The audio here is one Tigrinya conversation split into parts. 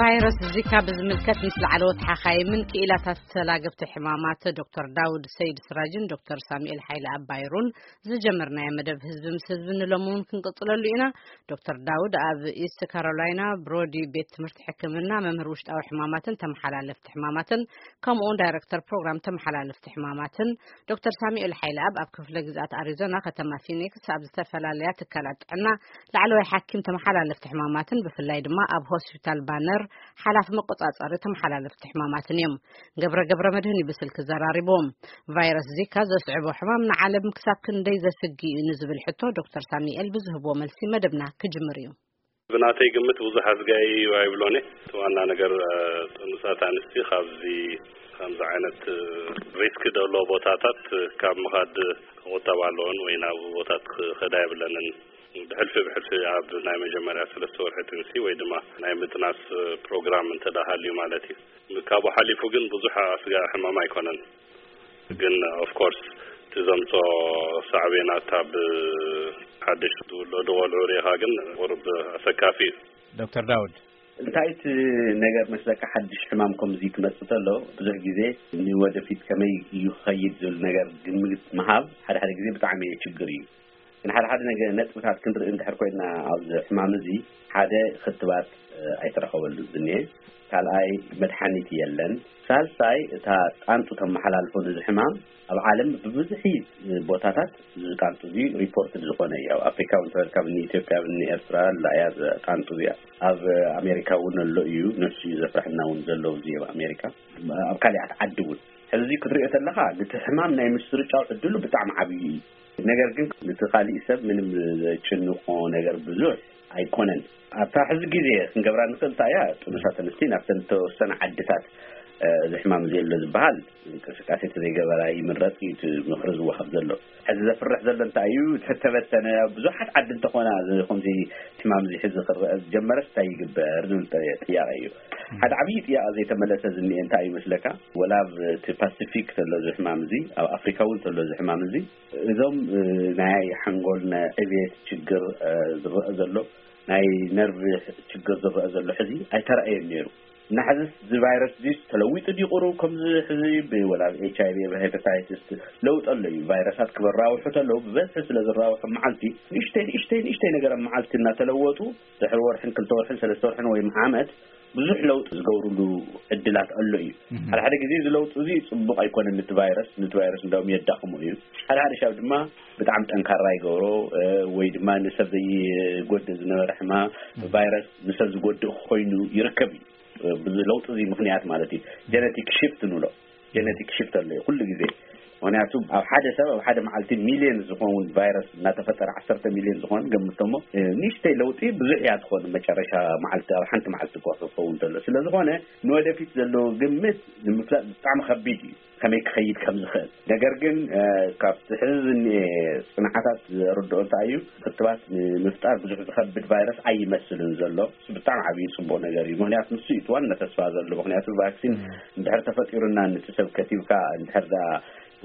ቫይረስ ዚካ ብዝምልከት ምስ ላዕለዎት ሓኻይምን ክኢላታት ተላገብቲ ሕማማት ዶክተር ዳውድ ሰይድ ስራጅን ዶክተር ሳሙኤል ሓይለ ኣባይሩን ዝጀመርናዮ መደብ ህዝቢ ምስ ህዝቢ ንሎሚ እውን ክንቅጽለሉ ኢና። ዶክተር ዳውድ ኣብ ኢስት ካሮላይና ብሮዲ ቤት ትምህርቲ ሕክምና መምህር ውሽጣዊ ሕማማትን ተመሓላለፍቲ ሕማማትን ከምኡ እውን ዳይረክተር ፕሮግራም ተመሓላለፍቲ ሕማማትን፣ ዶክተር ሳሙኤል ሓይለኣብ ኣብ ክፍለ ግዝኣት ኣሪዞና ከተማ ፊኒክስ ኣብ ዝተፈላለያ ትካላት ጥዕና ላዕለዋይ ሓኪም ተመሓላለፍቲ ሕማማትን ብፍላይ ድማ ኣብ ሆስፒታል ባነር ሓላፊ መቆጻጸሪ ተመሓላለፍቲ ሕማማትን እዮም። ገብረ ገብረ መድህን እዩ ብስልኪ ዘራሪቦም። ቫይረስ ዚካ ዘስዕቦ ሕማም ንዓለም ክሳብ ክንደይ ዘስግእ እዩ ንዝብል ሕቶ ዶክተር ሳሙኤል ብዝህብዎ መልሲ መደብና ክጅምር እዩ። ብናተይ ግምት ብዙሕ ኣስጋኢ እዩ ኣይብሎን እየ። እቲ ዋና ነገር፣ እ፣ ጥኑሳት ኣንስቲ ካብዚ፣ ከምዚ ዓይነት፣ እ፣ ሪስክ ደሎ ቦታታት ካብ ምኻድ ክቑጠባ ኣለዎን ወይ ናብ ቦታት ክኸዳ የብለንን። ብሕልፊ ብሕልፊ ኣብ ናይ መጀመርያ ሰለስተ ወርሒ ጥንሲ ወይ ድማ ናይ ምጥናስ፣ እ፣ ፕሮግራም እንተ ደኣ ሃልዩ ማለት እዩ። ካብኡ ሓሊፉ ግን ብዙሕ ኣስጋኢ ሕማም ኣይኮነን። ግን ኦፍ ኮርስ እቲ ዘምጾ ሳዕቤናት ኣብ ሓድሽ ዝውለዱ ቆልዑ ርኢኻ ግን ቁሩብ ኣሰካፊ እዩ። ዶክተር ዳውድ። እንታይ እቲ ነገር መስለካ፣ ሓድሽ ሕማም ከምዚ ክመጽእ ከሎ ብዙሕ ግዜ ንወደፊት ከመይ እዩ ክኸይድ ዝብል ነገር ግምት ምሃብ ሓደ ሓደ ግዜ ብጣዕሚ ችግር እዩ። ግን ሓደ ሓደ ነገር ነጥብታት ክንርኢ እንድሕር ኮይና ኣብዚ ሕማም እዚ ሓደ ክትባት፣ እ፣ ኣይተረኸበሉን ዝኒኤ፣ ካልኣይ መድሓኒት የለን፣ ሳልሳይ እታ ጣንጡ ተመሓላልፎ ነዚ ሕማም ኣብ ዓለም ብብዝሒ ቦታታት እዚ ጣንጡ እዚ ሪፖርት ዝኾነ እዩ። ኣብ ኣፍሪካ እውን ተበልካ ብኒ ኢትዮጵያ ብኒ ኤርትራ ላያ ጣንጡ እዚኣ ኣብ ኣሜሪካ እውን ኣሎ እዩ። ነሱ እዩ ዘፍርሐና እውን ዘሎ እዚ ኣብ ኣሜሪካ ኣብ ካሊኣት ዓዲ እውን ሕዚ ክትሪኦ ተለኻ ነቲ ሕማም ናይ ምስርጫው ዕድሉ ብጣዕሚ ዓብዪ እዩ። ነገር ግን ነቲ ካሊእ ሰብ ምንም ዘጭንቆ ነገር ብዙሕ ኣይኮነን። ኣብታ ሕዚ ግዜ ክንገብራ ንኽእል እንታይ እያ፣ ጥኑሳት ኣንስቲ ናብተን ዝተወሰነ ዓድታት፣ እ፣ እዚ ሕማም ዘሎ ዝበሃል እንቅስቃሴ ተዘይገበራ ይምረጽ እዩ እቲ ምኽሪ ዝወሃብ ዘሎ። ሕዚ ዘፍርሕ ዘሎ እንታይ እዩ፣ ተተበተነ ብዙሓት ዓዲ እንተኾና እዚ ከምዚ ሕማም እዚ ሕዚ ክረአ ዝጀመረስ እንታይ ይግበር ዝብል ጥያቄ እዩ። ሓደ ዓብዪ ጥያቄ ዘይተመለሰ ዝኒኤ እንታይ እዩ መስለካ፣ ወላ ኣብ እቲ ፓሲፊክ ዘሎ እዚ ሕማም እዚ፣ ኣብ ኣፍሪካ እውን ዘሎ እዚ ሕማም እዚ፣ እዞም፣ እ፣ ናይ ሓንጎል ናይ ዕብየት ችግር፣ እ፣ ዝረአ ዘሎ፣ ናይ ነርቭ ችግር ዝረአ ዘሎ ሕዚ ኣይተረኣየን ነይሩ። እና ሕዚ እዚ ቫይረስ እዚ ተለዊጡ ድዩ ቁሩብ ከምዚ ሕዚ ብ-፣ ወላ ኤች ኣይ ቪ፣ ሄፓታይትስ ለውጢ ኣሎ እዩ። ቫይረሳት ክበራውሑ ተለዉ ብበዝሒ ስለ ዝራውሑ መዓልቲ ንእሽተይ ንእሽተይ ንእሽተይ ነገር ኣብ መዓልቲ እናተለወጡ ድሕሪ ወርሕን ክልተ ወርሕን ሰለስተ ወርሕን ወይ ዓመት ብዙሕ ለውጢ ዝገብሩሉ ዕድላት ኣሎ እዩ። ሓደ ሓደ ግዜ እዚ ለውጢ እዚ ጽቡቕ ኣይኮነን ነቲ ቫይረስ፣ ነቲ ቫይረስ እንዳውም የዳኽሞ እዩ። ሓደ ሓደ ሻብ ድማ ብጣዕሚ ጠንካራ ይገብሮ፣ እ፣ ወይ ድማ ንሰብ ዘይጎድእ ዝነበረ ሕማ ቫይረስ ንሰብ ዝጎድእ ኮይኑ ይርከብ እዩ። እ፣ ብዚ ለውጢ እዚ ምኽንያት ማለት እዩ። ጀነቲክ ሽፍት ንብሎ። ጀነቲክ ሽፍት ኣሎ እዩ ኩሉ ግዜ። ምኽንያቱ ኣብ ሓደ ሰብ ኣብ ሓደ መዓልቲ ሚልዮን ዝኸውን ቫይረስ እናተፈጠረ፣ ዓሰርተ ሚልዮን ዝኾን ገምቶሞ፣ እ፣ ንእሽተይ ለውጢ ብዙሕ እያ ትኾን መጨረሻ መዓልቲ፣ ኣብ ሓንቲ መዓልቲ እኳ ክኸውን ተሎ። ስለ ዝኾነ ንወደፊት ዘለዎ ግምት ንምፍላጥ ብጣዕሚ ከቢድ እዩ፣ ከመይ ክኸይድ ከም ዝኽእል። ነገር ግን፣ እ፣ ካብቲ ሕዚ ዝኒኤ ጽንዓታት ዘርድኦ እንታይ እዩ፣ ክትባት ንምፍጣር ብዙሕ ዝኸብድ ቫይረስ ኣይመስልን ዘሎ። እሱ ብጣዕሚ ዓብዪ ጽቡቕ ነገር እዩ። ምኽንያቱ ንሱ እዩ እቲ ዋና ተስፋ ዘሎ። ምኽንያቱ ቫክሲን እንድሕር ተፈጢሩና፣ ነቲ ሰብ ከቲብካ እንድሕር ደኣ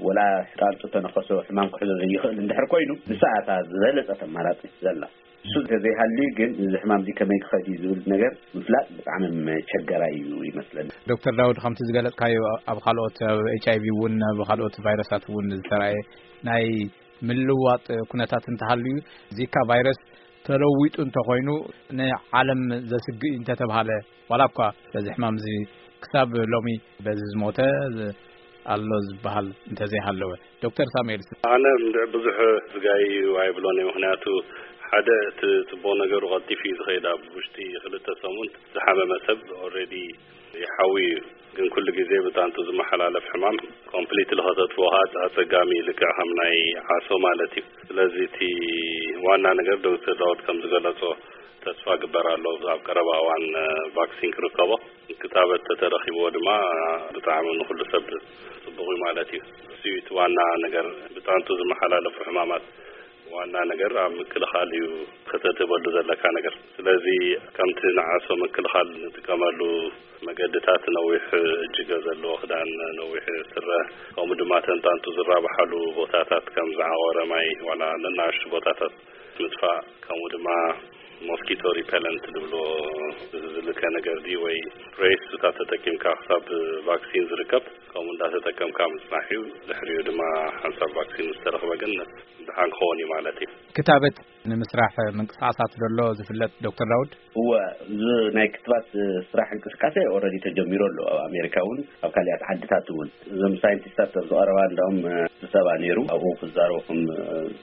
ወላ ጣንጡ ተነኸሶ ሕማም ክሕዞ ዘይኽእል እንድሕር ኮይኑ፣ ንሳ እያ እታ ዝበለጸት ኣማራጺት ዘላ። እሱ እንተዘይሃልዩ ግን እዚ ሕማም እዚ ከመይ ክኸድ እዩ ዝብል ነገር ምፍላጥ ብጣዕሚ መቸገራይ እዩ ይመስለኒ። ዶክተር ዳውድ፣ ከምቲ ዝገለጽካዮ ኣብ ካልኦት፣ ኣብ ኤች ኣይ ቪ እውን ኣብ ካልኦት ቫይረሳት እውን ዝተራእየ ናይ ምልዋጥ ኩነታት እንተሃልዩ፣ ዚካ ቫይረስ ተለዊጡ እንተኾይኑ ንዓለም ዘስግእ እዩ እንተተብሃለ፣ ዋላ እኳ በዚ ሕማም እዚ ክሳብ ሎሚ በዚ ዝሞተ ኣሎ ዝበሃል እንተዘይሃለወ። ዶክተር ሳሙኤል። ኣነ እንድዕ ብዙሕ ዝጋይ እዩ ኣይብሎን እየ። ምኽንያቱ ሓደ እቲ ጽቡቕ ነገሩ ቀልጢፉ እዩ ዝኸይድ። ኣብ ውሽጢ ክልተ ሰሙን ዝሓመመ ሰብ ኦልሬዲ ይሓዊ እዩ። ግን ኩሉ ግዜ ብጣንቱ ዝመሓላለፍ ሕማም ኮምፕሊትሊ ከተጥፍኦ ከዓ ኣጸጋሚ እዩ፣ ልክዕ ከም ናይ ዓሶ ማለት እዩ። ስለዚ እቲ ዋና ነገር ዶክተር ዳውድ ከም ዝገለጾ ተስፋ ግበር ኣሎ ኣብ ቀረባ እዋን፣ እ፣ ቫክሲን ክርከቦ። ክታበት ተተረኺብዎ ድማ ብጣዕሚ ንኹሉ ሰብ ጽቡቕ እዩ ማለት እዩ። እሱ እዩ እቲ ዋና ነገር። ብጣንቱ ዝመሓላለፉ ሕማማት ዋና ነገር ኣብ ምክልኻል እዩ ከተትህበሉ ዘለካ ነገር። ስለዚ ከምቲ ንዓሶ ምክልኻል ንጥቀመሉ መገድታት ነዊሕ እጅገ ዘለዎ ክዳን፣ ነዊሕ ስረ፣ ከምኡ ድማ ተንጣንጡ ዝራብሓሉ ቦታታት ከም ዝዓቖረ ማይ ዋላ ንናሽቱ ቦታታት ምጥፋእ፣ ከምኡ ድማ ሞስኪቶ ሪፐለንት ዝብሎ ዝልከ ነገር ድዩ ወይ ፕሬስ እታ ተጠቂምካ ክሳብ ቫክሲን ዝርከብ ከምኡ እንዳተጠቀምካ ምጽናሕ እዩ። ድሕሪኡ ድማ ሓንሳብ ቫክሲን ዝተረኽበ ግን ድሓን ክኸውን እዩ ማለት እዩ። ክታበት ንምስራሕ ምንቅስቃሳት ዘሎ ዝፍለጥ ዶክተር ዳውድ? እወ፣ እዚ ናይ ክትባት ስራሕ እንቅስቃሴ ኦልሬዲ ተጀሚሩ ኣሎ። ኣብ ኣሜሪካ እውን ኣብ ካልኣት ዓድታት እውን እዞም ሳይንቲስታት ኣብ ዝቐረባ እንዳውም ስብሰባ ነይሩ። ኣብኡ ክዛረቡ ከም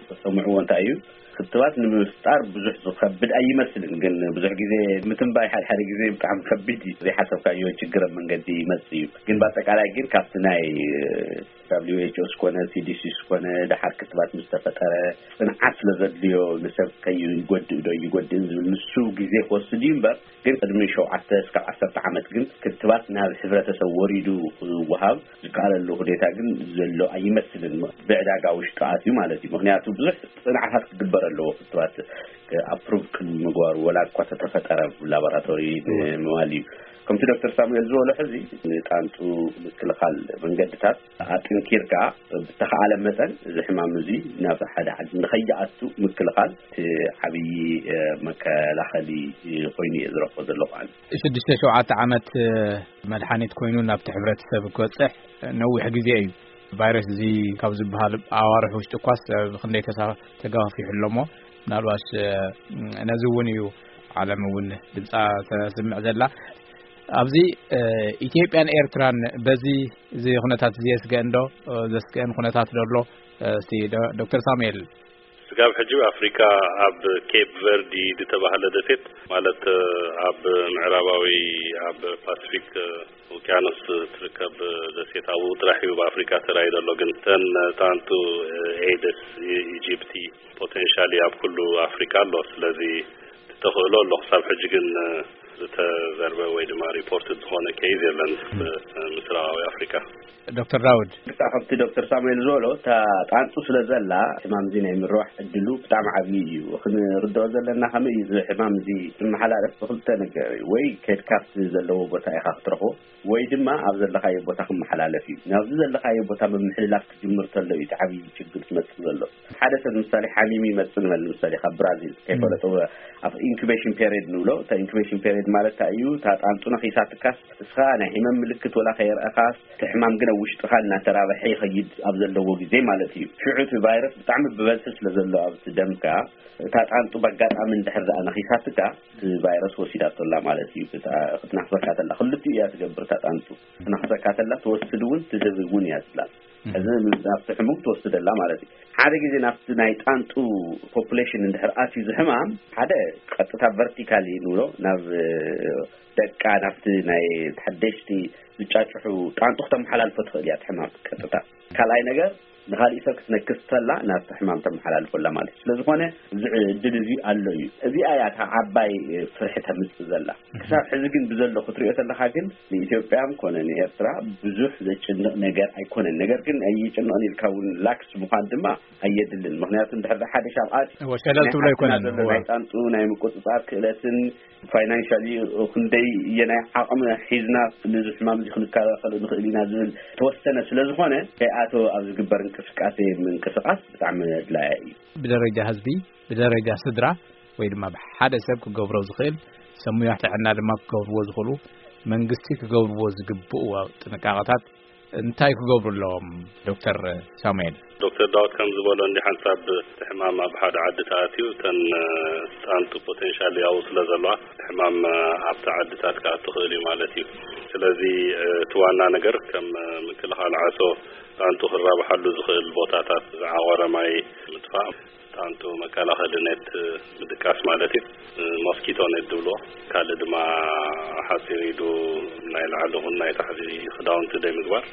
ተሰምዕዎ እንታይ እዩ ክትባት ንምፍጣር ብዙሕ ዝኸብድ ኣይመስልን። ግን ብዙሕ ግዜ ምትንባይ ሓደ ሓደ ግዜ ብጣዕሚ ከቢድ እዩ። ዘይሓሰብካዮ ችግር ኣብ መንገዲ ይመጽእ እዩ። ግን ብኣጠቃላይ ግን ካብቲ ናይ W H O ዝኾነ C D C ዝኾነ ደሓር ክትባት ምስ ተፈጠረ ጽንዓት ስለ ዘድልዮ ንሰብ ከይጎድእ ዶ ይጎድእ ዝብል ንሱ ግዜ ክወስድ እዩ እምበር ግን ቅድሚ ሸውዓተ እስካብ ዓሰርተ ዓመት ግን ክትባት ናብ ሕብረተሰብ ወሪዱ ክወሃብ ዝከኣለሉ ሁኔታ ግን ዘሎ ኣይመስልን። ብዕዳጋ ውሽጡ ኣትዩ ማለት እዩ። ምክንያቱ ብዙሕ ጽንዓታት ክግበር ኣለዎ ክትባት ኣፕሩቭ ቅድሚ ምግባሩ ወላ እኳ ተተፈጠረ ላቦራቶሪ ንምባል እዩ። ከምቲ ዶክተር ሳሙኤል ዝበሎ ሕዚ ንጣንጡ ምክልኻል መንገድታት ኣጥንኪርካ ብተኻኣለ መጠን እዚ ሕማም እዚ ናብ ሓደ ዓዲ ንኸይኣቱ ምክልኻል እቲ ዓብዪ መከላኸሊ ኮይኑ እየ ዝረኽቦ ዘለኹ ኣነ። ሽዱሽተ ሸውዓተ ዓመት መድሓኒት ኮይኑ ናብቲ ሕብረተሰብ ክበፅሕ ነዊሕ ግዜ እዩ። ቫይረስ እዚ ካብ ዝበሃል ኣዋርሕ ውሽጢ እኳስ ብክንደይ ተሳ ተጋፊሑ ኣለሞ ምናልባሽ ነዚ እውን እዩ ዓለም እውን ድምፃ ተስምዕ ዘላ። ኣብዚ ኢትዮጵያን ኤርትራን በዚ እዚ ኩነታት እዚ የስገአን ዶ? ዘስገአን ኩነታት ዶ ኣሎ? እስቲ ዶ- ዶክተር ሳሙኤል። ስጋብ ሕጂ ኣፍሪካ ኣብ ኬፕ ቨርዲ ዝተባህለ ደሴት ማለት ኣብ ምዕራባዊ ኣብ ፓሲፊክ ውቅያኖስ ትርከብ ደሴት ኣብኡ ጥራሕ እዩ ብኣፍሪካ ተራይ ዘሎ። ግን ተን ጣንቱ ኤደስ ኢጂፕቲ ፖቴንሻሊ ኣብ ኩሉ ኣፍሪካ ኣሎ። ስለዚ ተኽእሎ ኣሎ። ክሳብ ሕጂ ግን ዝተዘርበ ወይ ድማ ሪፖርት ዝኾነ ኬዝ የለን ምስራቃዊ ኣፍሪካ። ዶክተር ዳውድ። ብጣዕ ከምቲ ዶክተር ሳሙኤል ዝበሎ እታ ጣንጡ ስለ ዘላ ሕማም እዚ ናይ ምርባሕ ዕድሉ ብጣዕሚ ዓብዪ እዩ። ክንርድኦ ዘለና ከመይ እዩ እዚ ሕማም እዚ ዝመሓላለፍ ብክልተ ነገር እዩ። ወይ ከድካፍቲ ዘለዎ ቦታ ኢኻ ክትረኽቦ ወይ ድማ ኣብ ዘለኻዮ ቦታ ክመሓላለፍ እዩ። ናብዚ ዘለኻዮ ቦታ ምምሕልላፍ ክጅምር ተሎ እዩ እቲ ዓብዪ ችግር ዝመፅእ ዘሎ። ሓደ ሰብ ምሳሌ ሓሚሙ ይመፅእ ንበል ምሳሌ ካብ ብራዚል ከይፈለጦ ኣብ ኢንኩቤሽን ፔሪድ ንብሎ። እታ ኢንኩቤሽን ፔሪድ ማለት እንታይ እዩ? እታ ጣንጡ ነኺሳትካስ እስኻ ናይ ሕመም ምልክት ወላ ከየርአኻስ እቲ ሕማም ግን ኣብ ውሽጥኻ እናተራበሐ ይኸይድ ኣብ ዘለዎ ግዜ ማለት እዩ። ሽዑ እቲ ቫይረስ ብጣዕሚ ብበዝሒ ስለ ዘሎ ኣብቲ ደምካ እታ ጣንጡ በጋጣሚ እንድሕር ደኣ ነኺሳትካ እቲ ቫይረስ ወሲዳቶ ኣላ ማለት እዩ። እታ ክትናኽሰካ ተላ ክልቲኡ እያ ትገብር እታ ጣንጡ። ክትናኽሰካ ተላ ትወስድ እውን ትህብ እውን እያ ትላ። እዚ ናብቲ ሕሙም ትወስደላ ማለት እዩ። ሓደ ግዜ ናብቲ ናይ ጣንጡ ፖፑሌሽን እንድሕር ኣትዩ ዝሕማም ሓደ ቀጥታ ቨርቲካሊ ንብሎ ናብ ደቃ ናብቲ ናይ ሓደሽቲ ዝጫጭሑ ጣንጡ ክተመሓላልፎ ትኽእል እያ ትሕማም ቀጥታ። ካልኣይ ነገር ንኻሊእ ሰብ ክትነክስ ተላ ናብቲ ሕማም ተመሓላልፎላ ማለት እዩ። ስለዝኾነ እዚ ዕድል እዚ ኣሎ እዩ። እዚኣ እያ እታ ዓባይ ፍርሒ ተምፅእ ዘላ። ክሳብ ሕዚ ግን ብዘሎ ክትሪኦ ተለኻ ግን ንኢትዮጵያ ኮነ ንኤርትራ ብዙሕ ዘጭንቕ ነገር ኣይኮነን። ነገር ግን ኣይጭንቕን ኢልካ እውን ላክስ ምዃን ድማ ኣየድልን። ምክንያቱ እንድሕር ሓደ ሻብኣት እወ፣ ሸለል ናይ ትብሎ ሓፍትና ኣይኮነን። ዘሎ እወ። ናይ ጣንጡ ናይ ምቁፅፃር ክእለትን ፋይናንሻሊ ክንደይ እየናይ ዓቕሚ ሒዝና ነዚ ሕማም እዚ ክንከላኸሎ ንኽእል ኢና ዝብል ተወሰነ ስለ ዝኾነ ከይኣቶ ኣብ ዝግበር እንቅስቃሴ ምንቅስቃስ ብጣዕሚ ኣድላያ እዩ። ብደረጃ ህዝቢ፣ ብደረጃ ስድራ ወይ ድማ ብሓደ ሰብ ክገብሮ ዝኽእል ሰብ ሙያ ጥዕና ድማ ክገብርዎ ዝኽእሉ መንግስቲ ክገብርዎ ዝግብኡ ጥንቃቐታት እንታይ ክገብሩ ኣለዎም ዶክተር ሳሙኤል? ዶክተር ዳውድ ከም ዝበሎ እንዲ ሓንሳብ እቲ ሕማም ኣብ ሓደ ዓዲ ተኣትዩ እተን ጣንጡ ፖቴንሻል ያው ስለ ዘለዋ እቲ ሕማም ኣብቲ ዓድታት ክኣቱ ክእል እዩ ማለት እዩ። ስለዚ እቲ ዋና ነገር ከም ምክልኻል ዓሶ ጣንጡ ክራብሓሉ ዝኽእል ቦታታት ዝዓቆረ ማይ ምጥፋእ ጣንጡ መከላኸሊ ኔት ምድቃስ ማለት እዩ። ሞስኪቶ ኔት ዝብልዎ ካልእ ድማ ሓፂር ኢዱ ናይ ላዕሊ ኹን ናይ ታሕቲ ክዳውንቲ ደይ ምግባር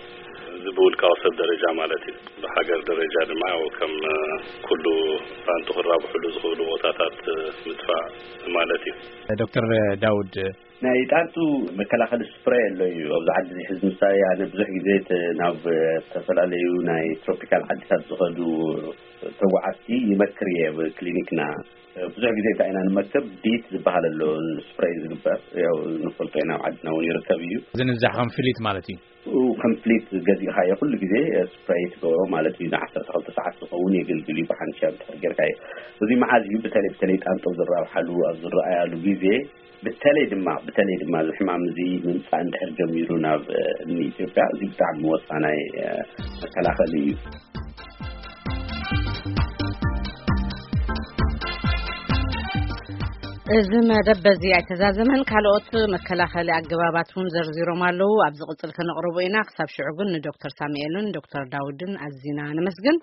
እዚ ብውልቃዊ ሰብ ደረጃ ማለት እዩ። ብሃገር ደረጃ ድማ ያው ከም ኩሉ ጣንጡ ክራብሕሉ ዝኽእሉ ቦታታት ምጥፋእ ማለት እዩ። ዶክተር ዳውድ ናይ ጣንጡ መከላኸሊ ስፕሬ ኣሎ እዩ ኣብዚ ዓዲ እዚ ሕዚ ምሳሌ ኣነ ብዙሕ ግዜ ናብ ዝተፈላለዩ ናይ ትሮፒካል ዓድታት ዝኸዱ ተጓዓዝቲ ይመክር እየ። ኣብ ክሊኒክና ብዙሕ ግዜ እንታይ ኢና ንመክር ዲት ዝበሃል ኣሎ ስፕሬይ ዝግበር ያው ንፈልጦ ኢና ኣብ ዓድና እውን ይርከብ እዩ። ዝንዛሕ ከም ፍሊት ማለት እዩ። ከም ፍሊት ገዚእኻዮ ኩሉ ግዜ ስፕሬይ ትገብሮ ማለት እዩ ንዓሰርተ ክልተ ሰዓት እውን የገልግል እዩ። ብሓንሻ ብትሕር ጌርካ እዩ። እዚ መዓዝ እዩ? በተለይ በተለይ ጣንጦ ዝራብሓሉ ኣብ ዝረኣያሉ ግዜ፣ በተለይ ድማ በተለይ ድማ እዚ ሕማም እዚ ምምፃእ እንድሕር ጀሚሩ ናብ ንኢትዮጵያ፣ እዚ ብጣዕሚ ወሳናይ መከላኸሊ እዩ። እዚ መደብ በዚ ኣይተዛዘመን። ካልኦት መከላኸሊ ኣገባባት እውን ዘርዚሮም ኣለዉ። ኣብ ዝቕፅል ከነቕርቦ ኢና። ክሳብ ሽዑ ግን ንዶክተር ሳሙኤልን ዶክተር ዳውድን ኣዚና ነመስግን።